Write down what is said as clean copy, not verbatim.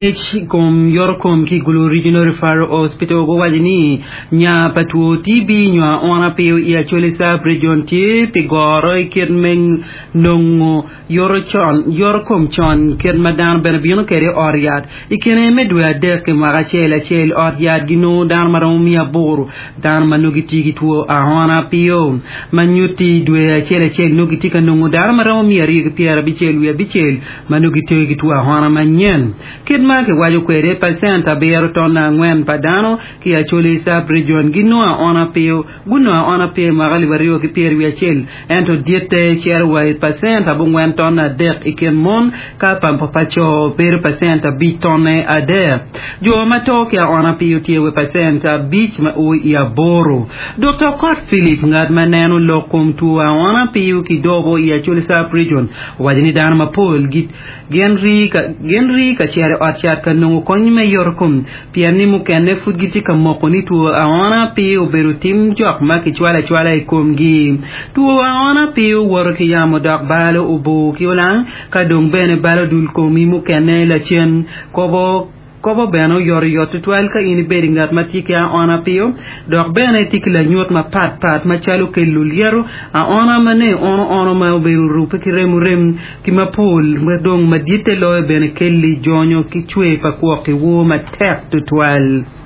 Ngec i kom yotokom ki i Gulu Regional Referral Hospital guwaco ni nya pa two TB nyo aona piyo i Acholi Sub-Region tye pi goro i kit me nongo yotokom con kit ma dano bene bino kwede i ot yat. I kine me dwe adek ki mwaka acel acel ot yat ginongo dano ma romo miya aboro dano ma nongo gitye ki two aona piyo ma nyutti dwe acel acel nongo gitye ka nongo dano ma romo 269 ma nongo gitye ki two aona manyen. Kit ma kiwaco kwede, pacent abiro tonne angwen pa dano ki i Acholi Sub-Region ginongo aona piyo. Gunongo aona piyo i mwaka alip aryo ki pyeri wiye acel, ento ditte cito wa i pacent abongwen tonne adek i kin mon ka pa pa co bedo pacent abic tonne adek. Jo ma to ki aona piyo tye wa i pacent abic ma o i aboro. Dokta Okot Philip, ngat ma neno lok kom two aona piyo ki dobo i Acholi Sub-Region, Owaco ni dano mapol gin rii ka cito i ot cat ka nongo kony me yotokom pien ni mukene pud gitye ka moko ni two aona pe obedo tim jok ma kicwalo acwala i komgi. Two aona pe owoto ki yamo dok balo obur ki olang ka dong bene balo dul komi mukene lacen. Kobo. Kobo bene oyotoyot tutwal ka in ibedo i ngat ma tye ki aona piyo, dok bene itye ki lanyut mapat pat macalo kelo lyeto, aona ma ne ono ono ma obedo orubbe ki remo rem ki mapol ma dong maditte loyo bene kelli jonyo ki cwer pa kwok ki woo matek tutwal.